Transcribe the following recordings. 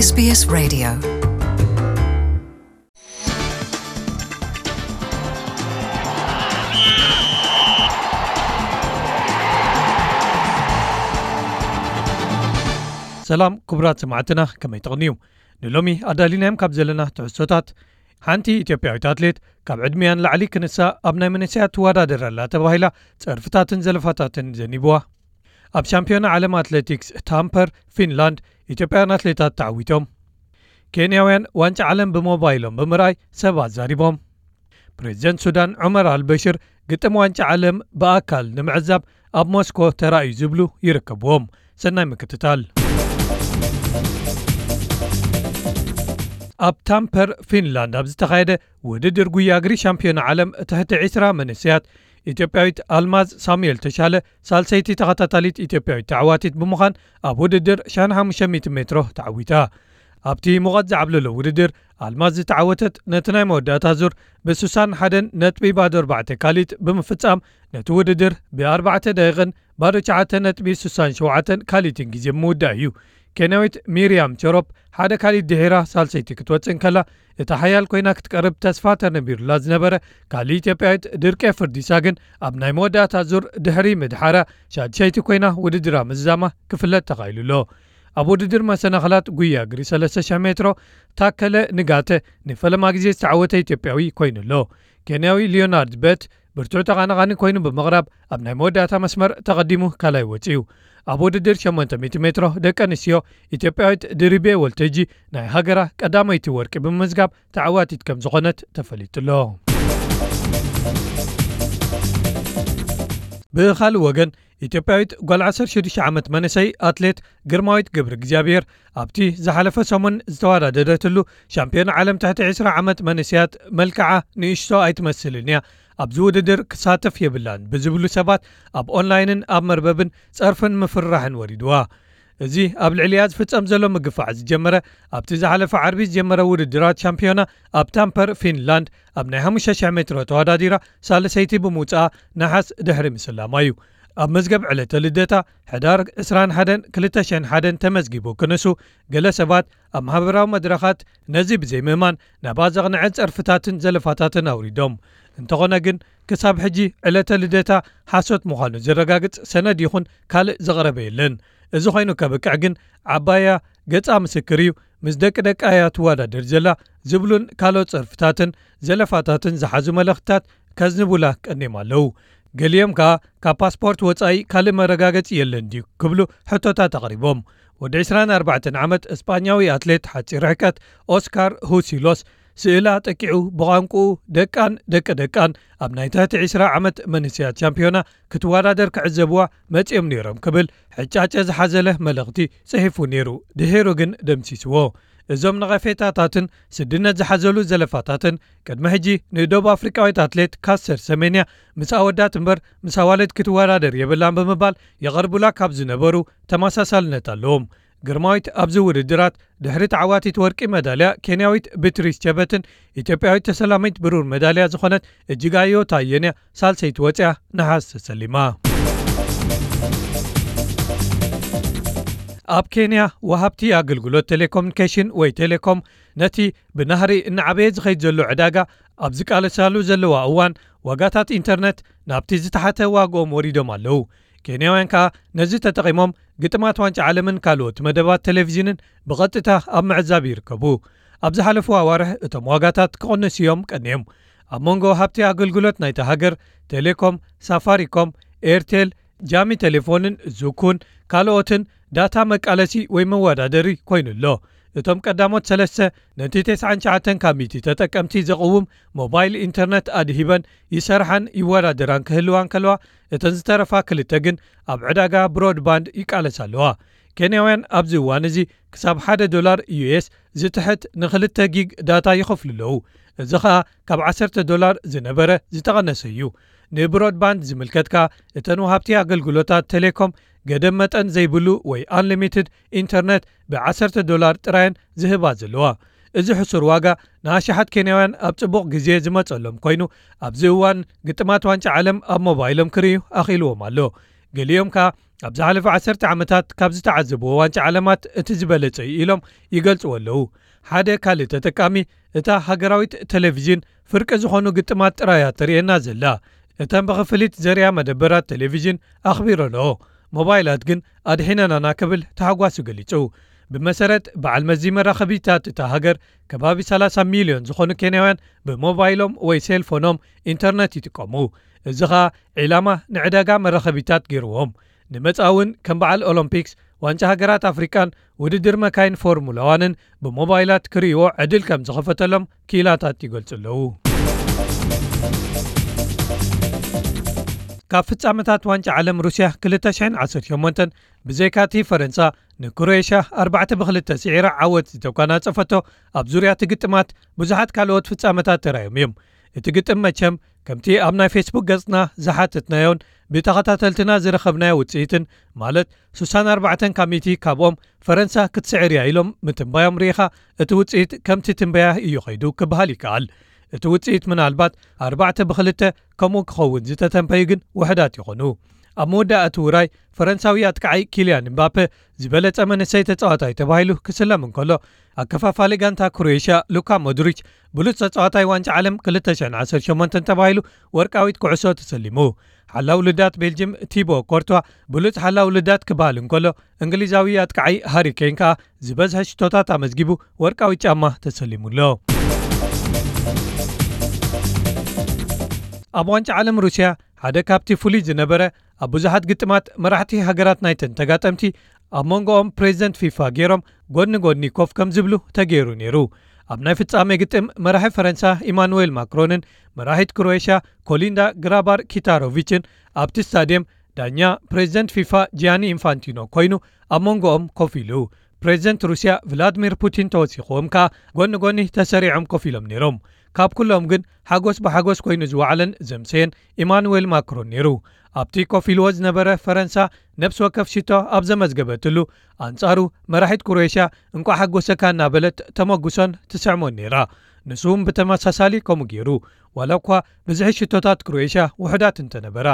S B S Radio. ሰላም ክቡራት ሰማዕትና፣ ከመይ ትቕንዩ? ንሎሚ ኣዳሊናዮም ካብ ዘለና ትሕዝቶታት፣ ሓንቲ ኢትዮጵያዊት ኣትሌት ካብ ዕድሚያ ንላዕሊ ክንሳ ኣብ ናይ መንእሰያት ትወዳደር ኣላ ተባሂላ ጸርፍታትን ዘለፋታትን ዘኒብዋ። ኣብ ሻምፒዮና ዓለም ኣትሌቲክስ ታምፐር ፊንላንድ ኢትዮጵያውያን ኣትሌታት ተዓዊቶም። ኬንያውያን ዋንጫ ዓለም ብሞባይሎም ብምርኣይ ሰብ ኣዛሪቦም። ፕሬዚደንት ሱዳን ዑመር ኣልበሽር ግጥም ዋንጫ ዓለም ብኣካል ንምዕዛብ ኣብ ሞስኮ ተራእዩ ዝብሉ ይርከብዎም። ሰናይ ምክትታል። ኣብ ታምፐር ፊንላንድ ኣብ ዝተኻየደ ውድድር ጉያ እግሪ ሻምፒዮና ዓለም ትሕቲ ዕስራ መንእሰያት፣ ኢትዮጵያዊት ኣልማዝ ሳሙኤል ተሻለ ሳልሰይቲ ተኸታታሊት ኢትዮጵያዊት ተዓዋቲት ብምዃን ኣብ ውድድር ሺሕ ሓሙሽተ ሚእቲ ሜትሮ ተዓዊታ። ኣብቲ ሙቐት ዝዓብለሎ ውድድር ኣልማዝ ዝተዓወተት ነቲ ናይ መወዳእታ ዙር ብስሳን ሓደን ነጥቢ ባዶ ኣርባዕተ ካሊት ብምፍጻም ነቲ ውድድር ብኣርባዕተ ደቂቕን ባዶ ትሽዓተ ነጥቢ ስሳን ሸውዓተን ካሊትን ግዜ ብምውዳእ እዩ። ኬንያዊት ሚርያም ቸሮፕ ሓደ ካሊት ድሒራ ሳልሰይቲ ክትወጽእ እንከላ፣ እታ ሓያል ኮይና ክትቀርብ ተስፋ ተነቢሩላ ዝነበረ ካልእ ኢትዮጵያዊት ድርቄ ፍርዲሳ ግን ኣብ ናይ መወዳእታ ዙር ድሕሪ ምድሓራ ሻድሸይቲ ኮይና ውድድራ ምዝዛማ ክፍለጥ ተኻኢሉ ኣሎ። ኣብ ውድድር መሰናኽላት ጉያ እግሪ ሰለስተ ሽሕ ሜትሮ ታከለ ንጋተ ንፈለማ ግዜ ዝተዓወተ ኢትዮጵያዊ ኮይኑ ኣሎ። ኬንያዊ ሊዮናርድ በት ብርቱዕ ተቓናቓኒ ኮይኑ ብምቕራብ ኣብ ናይ መወዳእታ መስመር ተቐዲሙ ካልኣይ ወጺኡ። ኣብ ውድድር ሸሞንተ ሚእቲ ሜትሮ ደቂ ኣንስትዮ ኢትዮጵያዊት ድሪቤ ወልተጂ ናይ ሃገራ ቀዳመይቲ ወርቂ ብምምዝጋብ ተዓዋቲት ከም ዝኾነት ተፈሊጡ ኣሎ። ብኻልእ ወገን ኢትዮጵያዊት ጓል ዓሰርተ ሽዱሽተ ዓመት መንእሰይ ኣትሌት ግርማዊት ገብረ እግዚኣብሔር ኣብቲ ዝሓለፈ ሰሙን ዝተወዳደረትሉ ሻምፒዮን ዓለም ትሕቲ ዕስራ ዓመት መንእሰያት መልክዓ ንእሽቶ ኣይትመስልን እያ፣ ኣብዚ ውድድር ክሳተፍ የብላን ብዝብሉ ሰባት ኣብ ኦንላይንን ኣብ መርበብን ጸርፍን ምፍርራሕን ወሪድዋ። እዚ ኣብ ልዕሊኣ ዝፍጸም ዘሎ ምግፋዕ ዝጀመረ ኣብቲ ዝሓለፈ ዓርቢ ዝጀመረ ውድድራት ሻምፒዮና ኣብ ታምፐር ፊንላንድ ኣብ ናይ ሓሙሽተ ሽሕ ሜትሮ ተወዳዲራ ሳልሰይቲ ብምውጻኣ ነሓስ ድሕሪ ምስላማ እዩ። ኣብ መዝገብ ዕለተ ልደታ ሕዳር ዕስራን ሓደን ክልተ ሽሕን ሓደን ተመዝጊቡ ክንሱ፣ ገለ ሰባት ኣብ ማሕበራዊ መድረኻት ነዚ ብዘይምእማን ናብኣ ዘቕንዐ ጸርፍታትን ዘለፋታትን ኣውሪዶም። እንተኾነ ግን ክሳብ ሕጂ ዕለተ ልደታ ሓሶት ምዃኑ ዘረጋግጽ ሰነድ ይኹን ካልእ ዝቐረበ የለን። እዚ ኮይኑ ከብቅዕ ግን ዓባያ ገጻ ምስክር እዩ፣ ምስ ደቂ ደቃ እያ ትወዳደር ዘላ ዝብሉን ካልኦት ጸርፍታትን ዘለፋታትን ዝሓዙ መልእኽትታት ከዝንቡላ ቀኒዮም ኣለዉ። ገሊኦም ከኣ ካብ ፓስፖርት ወጻኢ ካልእ መረጋገጺ የለን ድዩ ክብሉ ሕቶታት ኣቕሪቦም። ወዲ ዕስራን ኣርባዕተን ዓመት እስጳኛዊ ኣትሌት ሓጺር ርሕቀት ኦስካር ሁሲሎስ ስእላ ጠቂዑ ብቋንቁኡ ደቃን ደቂ ደቃን ኣብ ናይ ትሕቲ ዕስራ ዓመት መንእሰያት ሻምፒዮና ክትወዳደር ክዕዘብዋ መጺኦም ነይሮም ክብል ሕጫጨ ዝሓዘለ መልእኽቲ ጽሒፉ ነይሩ። ድሒሩ ግን ደምሲስዎ። እዞም ነቐፌታታትን ስድነት ዝሓዘሉ ዘለፋታትን ቅድሚ ሕጂ ንደቡብ ኣፍሪቃዊት ኣትሌት ካስተር ሰሜንያ ምስ ኣወዳት እምበር ምስ ኣዋልድ ክትወዳደር የብላን ብምባል የቐርቡላ ካብ ዝነበሩ ተመሳሳልነት ኣለዎም። ግርማዊት ኣብዚ ውድድራት ድሕሪ ተዓዋቲት ወርቂ መዳልያ ኬንያዊት ብትሪስ ቸበትን ኢትዮጵያዊት ተሰላሚት ብሩር መዳልያ ዝኾነት እጅጋዮ ታየንያ ሳልሰይቲ ወፂኣ ነሓስ ተሰሊማ። ኣብ ኬንያ ወሃብቲ ኣገልግሎት ቴሌኮሙኒኬሽን ወይ ቴሌኮም ነቲ ብናህሪ እናዓበየ ዝኸይድ ዘሎ ዕዳጋ ኣብ ዝቃለሳሉ ዘለዋ እዋን ዋጋታት ኢንተርነት ናብቲ ዝተሓተ ዋግኦም ወሪዶም ኣለዉ። ኬንያውያን ከኣ ነዚ ተጠቒሞም ግጥማት ዋንጫ ዓለምን ካልኦት መደባት ቴሌቪዥንን ብቐጥታ ኣብ ምዕዛብ ይርከቡ። ኣብ ዝሓለፉ ኣዋርሕ እቶም ዋጋታት ክቕንሱ እዮም ቀንዮም። ኣብ መንጎ ወሃብቲ ኣገልግሎት ናይታ ሃገር ቴሌኮም፣ ሳፋሪኮም፣ ኤርቴል፣ ጃሚ ቴሌፎንን ዙኩን ካልኦትን ዳታ መቃለሲ ወይ መወዳደሪ ኮይኑ ኣሎ። እቶም ቀዳሞት ሰለስተ ነቲ ተስዓን ትሽዓተን ካብ ሚእቲ ተጠቀምቲ ዘቕውም ሞባይል ኢንተርነት ኣድሂበን ይሰርሓን ይወዳደራን ክህልዋ እንከለዋ፣ እተን ዝተረፋ ክልተ ግን ኣብ ዕዳጋ ብሮድባንድ ይቃለሳ ኣለዋ። ኬንያውያን ኣብዚ እዋን እዚ ክሳብ ሓደ ዶላር ዩ ኤስ ዝትሕት ንክልተ ጊግ ዳታ ይኸፍሉ ኣለዉ። እዚ ኸኣ ካብ ዓሰርተ ዶላር ዝነበረ ዝተቐነሰ እዩ። ንብሮድባንድ ዝምልከት ከኣ እተን ወሃብቲ ኣገልግሎታት ቴሌኮም ገደብ መጠን ዘይብሉ ወይ ኣንሊሚትድ ኢንተርነት ብዓሰርተ ዶላር ጥራየን ዝህባ ዘለዋ። እዚ ሕሱር ዋጋ ንኣሽሓት ኬንያውያን ኣብ ጽቡቕ ግዜ ዝመጸሎም ኮይኑ፣ ኣብዚ እዋን ግጥማት ዋንጫ ዓለም ኣብ ሞባይሎም ክርእዩ ኣኽኢልዎም ኣሎ። ገሊኦም ከኣ ኣብ ዝሓለፈ ዓሰርተ ዓመታት ካብ ዝተዓዘብዎ ዋንጫ ዓለማት እቲ ዝበለጸ እዩ ኢሎም ይገልጽዎ ኣለዉ። ሓደ ካልእ ተጠቃሚ፣ እታ ሃገራዊት ቴሌቪዥን ፍርቂ ዝኾኑ ግጥማት ጥራያ ተርእየና ዘላ። እተን ብኽፍሊት ዘርእያ መደበራት ቴሌቪዥን ኣኽቢረንኦ፣ ሞባይላት ግን ኣድሒነናና ክብል ተሓጓሱ ገሊጹ። ብመሰረት በዓል መዚ መራኸቢታት እታ ሃገር፣ ከባቢ ሰላሳ ሚልዮን ዝኾኑ ኬንያውያን ብሞባይሎም ወይ ሴልፎኖም ኢንተርነት ይጥቀሙ። እዚ ኸኣ ዒላማ ንዕዳጋ መራኸቢታት ገይርዎም። ንመጻኢ እውን ከም በዓል ኦሎምፒክስ፣ ዋንጫ ሃገራት ኣፍሪቃን ውድድር መካይን ፎርሙላ ዋንን ብሞባይላት ክርእይዎ ዕድል ከም ዝኸፈተሎም ክኢላታት ይገልጹ ኣለዉ። ካብ ፍጻመታት ዋንጫ ዓለም ሩስያ ክልተ ሽሕን ዓሰርተ ሸሞንተን ብዘይካቲ ፈረንሳ ንክሮኤሽያ ኣርባዕተ ብክልተ ስዒራ ዓወት ዝተጓናጸፈቶ ኣብ ዙርያ እቲ ግጥማት ብዙሓት ካልኦት ፍጻመታት ተራእዮም እዮም። እቲ ግጥም መቸም ከምቲ ኣብ ናይ ፌስቡክ ገጽና ዝሓተትናዮን ብተኸታተልትና ዝረኸብናዮ ውጽኢትን፣ ማለት ስሳን ኣርባዕተን ካብ ሚእቲ ካብኦም ፈረንሳ ክትስዕር እያ ኢሎም ምትንባዮም ርኢኻ፣ እቲ ውጽኢት ከምቲ ትንበያ እዩ ኸይዱ ክበሃል ይከኣል። እቲ ውጽኢት ምናልባት ኣርባዕተ ብክልተ ከምኡ ክኸውን ዝተተንበዩ ግን ውሑዳት ይኾኑ። ኣብ መወዳእቲ ውራይ ፈረንሳዊ ኣጥቃዓይ ኪልያን እምባፔ ዝበለጸ መንእሰይ ተጻዋታይ ተባሂሉ ክስለም እንከሎ፣ ኣከፋፋሊ ጋንታ ክሮኤሽያ ሉካ ሞድሪች ብሉጽ ተጻዋታይ ዋንጫ ዓለም ክልተ ሽሕን ዓሰርተ ሸሞንተን ተባሂሉ ወርቃዊት ኩዕሶ ተሰሊሙ። ሓላው ልዳት ቤልጅም ቲቦ ኮርቷ ብሉጽ ሓላው ልዳት ክበሃል እንከሎ፣ እንግሊዛዊ ኣጥቃዓይ ሃሪ ኬን ከኣ ዝበዝሐ ሽቶታት ኣመዝጊቡ ወርቃዊ ጫማ ተሰሊሙ ኣሎ። ኣብ ዋንጫ ዓለም ሩስያ ሓደ ካብቲ ፍሉይ ዝነበረ፣ ኣብ ብዙሓት ግጥማት መራሕቲ ሃገራት ናይተን ተጋጠምቲ ኣብ መንጎኦም ፕሬዚደንት ፊፋ ገይሮም ጎኒ ጎኒ ኮፍ ከም ዝብሉ ተገይሩ ነይሩ። ኣብ ናይ ፍጻሜ ግጥም መራሒ ፈረንሳ ኢማኑዌል ማክሮንን መራሒት ክሮኤሽያ ኮሊንዳ ግራባር ኪታሮቪችን ኣብቲ ስታድየም ዳኛ ፕሬዚደንት ፊፋ ጂያኒ ኢንፋንቲኖ ኮይኑ ኣብ መንጎኦም ኮፍ ኢሉ። ፕሬዚደንት ሩስያ ቭላድሚር ፑቲን ተወሲኽዎም ከኣ ጎኒ ጎኒ ተሰሪዖም ኮፍ ኢሎም ነይሮም። ካብ ኩሎም ግን ሓጎስ ብሓጎስ ኮይኑ ዝወዓለን ዘምሰየን ኢማኑዌል ማክሮን ነይሩ። ኣብቲ ኮፍ ኢልዎ ዝነበረ ፈረንሳ ነፍሲ ወከፍ ሽቶ ኣብ ዘመዝገበትሉ፣ ኣንጻሩ መራሒት ክሮኤሽያ እንቋዕ ሓጎሰካ እናበለት ተመጉሶን ትስዕሞን ነይራ። ንሱ እውን ብተመሳሳሊ ከምኡ ገይሩ፣ ዋላ እኳ ብዝሒ ሽቶታት ክሮኤሽያ ውሑዳት እንተነበራ።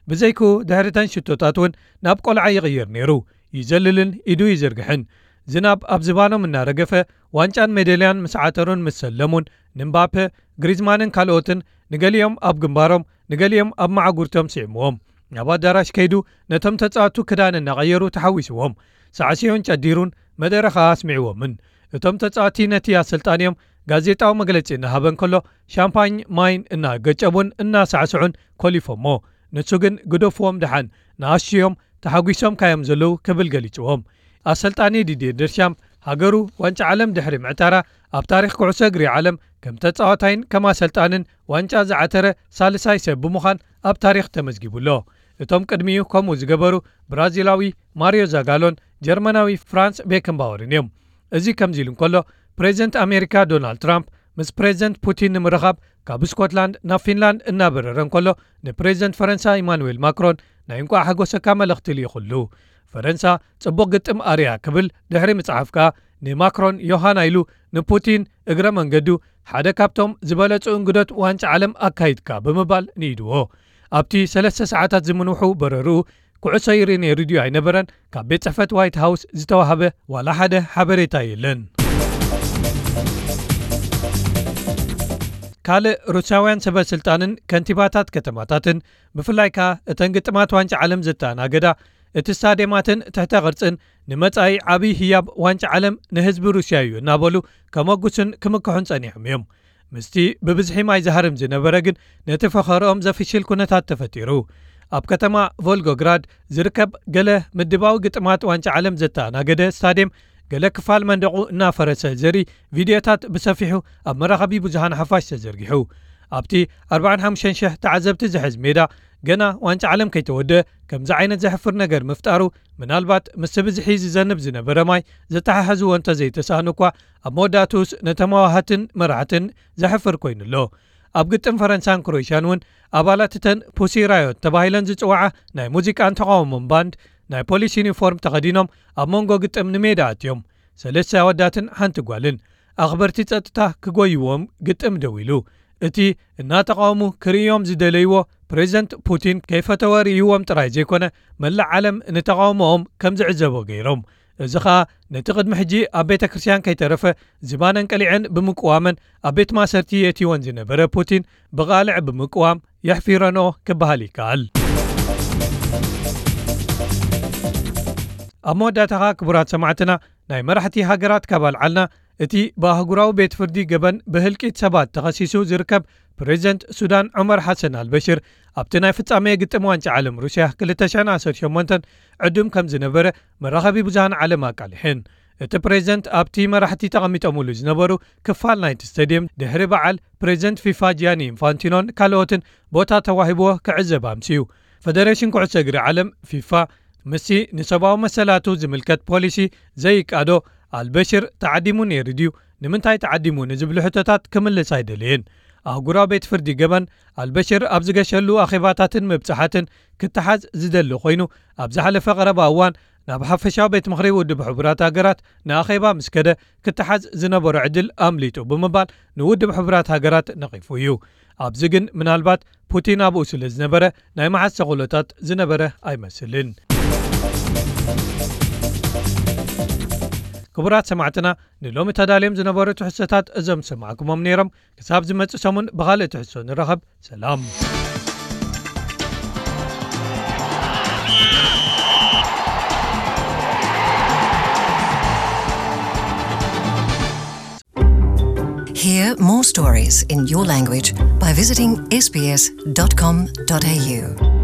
ብዘይክኡ ድሕሪተን ሽቶታት እውን ናብ ቆልዓ ይቕየር ነይሩ። ይዘልልን ኢዱ ይዝርግሕን። ዝናብ ኣብ ዝባኖም እናረገፈ፣ ዋንጫን ሜዳልያን ምስ ዓተሩን ምስ ሰለሙን፣ ንምባፔ፣ ግሪዝማንን ካልኦትን ንገሊኦም ኣብ ግንባሮም፣ ንገሊኦም ኣብ መዓጉርቶም ስዒምዎም። ናብ ኣዳራሽ ከይዱ ነቶም ተጻወቱ ክዳን እናቐየሩ ተሓዊስዎም። ሳዕስዮን ጨዲሩን መደረ ኸኣ ኣስሚዕዎምን። እቶም ተጻወቲ ነቲ ኣሰልጣኒኦም ጋዜጣዊ መግለጺ እናሃበ እንከሎ፣ ሻምፓኝ ማይን እናገጨቡን እናሳዕስዑን ኮሊፎሞ። ንሱ ግን ግደፍዎም ደሓን፣ ንኣሽዮም ተሓጒሶምካ እዮም ዘለዉ ክብል ገሊጽዎም። ኣሰልጣኒ ዲድየ ደርሻም፣ ሃገሩ ዋንጫ ዓለም ድሕሪ ምዕታራ፣ ኣብ ታሪኽ ኩዕሶ እግሪ ዓለም ከም ተጻዋታይን ከም ኣሰልጣንን ዋንጫ ዝዓተረ ሳልሳይ ሰብ ብምዃን ኣብ ታሪኽ ተመዝጊቡ ኣሎ። እቶም ቅድሚኡ ከምኡ ዝገበሩ ብራዚላዊ ማሪዮ ዛጋሎን ጀርመናዊ ፍራንስ ቤከንባወርን እዮም። እዚ ከምዚ ኢሉ እንከሎ፣ ፕሬዚደንት ኣሜሪካ ዶናልድ ትራምፕ ምስ ፕሬዚደንት ፑቲን ንምርኻብ ካብ ስኮትላንድ ናብ ፊንላንድ እናበረረ እንከሎ፣ ንፕሬዚደንት ፈረንሳ ኢማኑዌል ማክሮን ናይ እንቋዕ ሓጎሰካ መልእኽቲ ልኢኹሉ። ፈረንሳ ጽቡቕ ግጥም ኣርያ ክብል ድሕሪ ምጽሓፍ ከኣ፣ ንማክሮን ዮሃና ኢሉ ንፑቲን እግረ መንገዱ ሓደ ካብቶም ዝበለጹ እንግዶት ዋንጫ ዓለም ኣካይድካ ብምባል ንኢድዎ። ኣብቲ ሰለስተ ሰዓታት ዝምንውሑ በረርኡ፣ ኩዕሶ ይርኢ ነይሩ ድዩ ኣይነበረን፣ ካብ ቤት ጽሕፈት ዋይት ሃውስ ዝተዋህበ ዋላ ሓደ ሓበሬታ የለን። ካልእ ሩስያውያን ሰበ ስልጣንን ከንቲባታት ከተማታትን፣ ብፍላይ ከኣ እተን ግጥማት ዋንጫ ዓለም ዘተኣናገዳ፣ እቲ ስታድየማትን ትሕተ ቅርጽን ንመጻኢ ዓብዪ ህያብ ዋንጫ ዓለም ንህዝቢ ሩስያ እዩ እናበሉ ከመጉሱን ክምክሑን ጸኒሖም እዮም። ምስቲ ብብዝሒ ማይ ዝሃርም ዝነበረ ግን ነቲ ፈኸርኦም ዘፍሽል ኩነታት ተፈጢሩ። ኣብ ከተማ ቮልጎግራድ ዝርከብ ገለ ምድባዊ ግጥማት ዋንጫ ዓለም ዘተኣናገደ ስታድየም፣ ገለ ክፋል መንደቑ እናፈረሰ ዘርኢ ቪድዮታት ብሰፊሑ ኣብ መራኸቢ ብዙሃን ሓፋሽ ተዘርጊሑ። ኣብቲ ኣርባዓን ሓሙሽተን ሽሕ ተዓዘብቲ ዝሕዝ ሜዳ፣ ገና ዋንጫ ዓለም ከይተወደአ ከምዚ ዓይነት ዘሕፍር ነገር ምፍጣሩ፣ ምናልባት ምስቲ ብዝሒ ዝዘንብ ዝነበረ ማይ ዘተሓሕዝዎ እንተዘይተሳእኑ እኳ፣ ኣብ መወዳእትኡስ ነተማዋሃትን መራሕትን ዘሕፍር ኮይኑ ኣሎ። ኣብ ግጥም ፈረንሳን ክሮኤሽያን እውን፣ ኣባላት እተን ፑሲ ራዮት ተባሂለን ዝጽውዓ ናይ ሙዚቃን ተቓውሞን ባንድ፣ ናይ ፖሊስ ዩኒፎርም ተኸዲኖም ኣብ መንጎ ግጥም ንሜዳ ኣትዮም። ሰለስተ ኣወዳትን ሓንቲ ጓልን። ኣኽበርቲ ጸጥታ ክጎይዎም ግጥም ደው ኢሉ። እቲ እናተቓወሙ ክርእዮም ዝደለይዎ ፕሬዚደንት ፑቲን ከይፈተወ ርእይዎም ጥራይ ዘይኮነ፣ መላእ ዓለም ንተቓውሞኦም ከም ዝዕዘቦ ገይሮም። እዚ ኸኣ ነቲ ቅድሚ ሕጂ ኣብ ቤተ ክርስቲያን ከይተረፈ ዝባነን ቀሊዐን ብምቅዋመን ኣብ ቤት ማእሰርቲ የእትይወን ዝነበረ ፑቲን ብቓልዕ ብምቅዋም የሕፊረንኦ ክበሃል ይከኣል። ኣብ መወዳእታ ኸኣ ክቡራት ሰማዕትና፣ ናይ መራሕቲ ሃገራት ካብ ኣልዓልና፣ እቲ ብኣህጉራዊ ቤት ፍርዲ ገበን ብህልቂት ሰባት ተኸሲሱ ዝርከብ ፕሬዚደንት ሱዳን ዑመር ሓሰን ኣልበሽር ኣብቲ ናይ ፍጻሜ ግጥም ዋንጫ ዓለም ሩስያ ክልተ ሽሕን ዓሰርተ ሸሞንተን ዕዱም ከም ዝነበረ መራኸቢ ብዙሃን ዓለም ኣቃሊሐን። እቲ ፕሬዚደንት ኣብቲ መራሕቲ ተቐሚጦምሉ ዝነበሩ ክፋል ናይቲ ስቴድየም ድሕሪ በዓል ፕሬዚደንት ፊፋ ጂያኒ ኢንፋንቲኖን ካልኦትን ቦታ ተዋሂብዎ ክዕዘብ ኣምስዩ። ፈደሬሽን ኩዕሶ እግሪ ዓለም ፊፋ ምስቲ ንሰብኣዊ መሰላቱ ዝምልከት ፖሊሲ ዘይቃዶ ኣልበሽር ተዓዲሙ ነይሩ ድዩ? ንምንታይ ተዓዲሙ ንዝብሉ ሕቶታት ክምልስ ኣይደለየን። ኣህጉራዊ ቤት ፍርዲ ገበን ኣልበሽር ኣብ ዝገሸሉ ኣኼባታትን ምብጻሓትን ክተሓዝ ዝደሊ ኮይኑ፣ ኣብ ዝሓለፈ ቀረባ እዋን ናብ ሓፈሻዊ ቤት ምኽሪ ውድብ ሕቡራት ሃገራት ንኣኼባ ምስ ከደ ክተሓዝ ዝነበሮ ዕድል ኣምሊጡ ብምባል ንውድብ ሕቡራት ሃገራት ነቒፉ እዩ። ኣብዚ ግን ምናልባት ፑቲን ኣብኡ ስለ ዝነበረ ናይ መሓዝ ተኽእሎታት ዝነበረ ኣይመስልን። ክቡራት ሰማዕትና፣ ንሎሚ ተዳልዮም ዝነበሩ ትሕዝቶታት እዞም ዝሰማዕኩሞም ነይሮም። ክሳብ ዝመጽእ ሰሙን ብኻልእ ትሕዝቶ ንራኸብ። ሰላም። Hear more stories in your language by visiting S B S dot com dot A U.